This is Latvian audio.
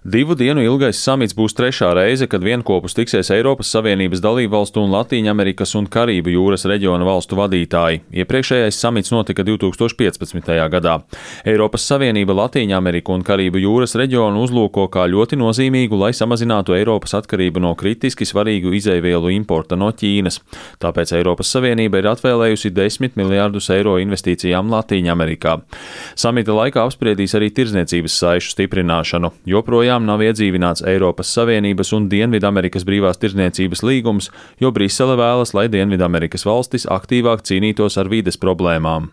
Divu dienu ilgais samits būs trešā reize, kad vienopus tiksies Eiropas Savienības dalībvalstu un Latīņamerikas un Karību jūras reģiona valstu vadītāji. Iepriekšējais samits notika 2015. gadā. Eiropas Savienība Latīņameriku un Karību jūras reģionu uzlūko kā ļoti nozīmīgu, lai samazinātu Eiropas atkarību no kritiski svarīgu izejvielu importa no Ķīnas. Tāpēc Eiropas Savienība ir atvēlējusi 10 miljārdus eiro investīcijām Latīņamerikā. Samita laikā apspriedīs arī tirdzniecības saišu stiprināšanu. Joprojām nav iedzīvināts Eiropas Savienības un Dienvidamerikas brīvās tirdzniecības līgums, jo Brisele vēlas, lai Dienvidamerikas valstis aktīvāk cīnītos ar vides problēmām.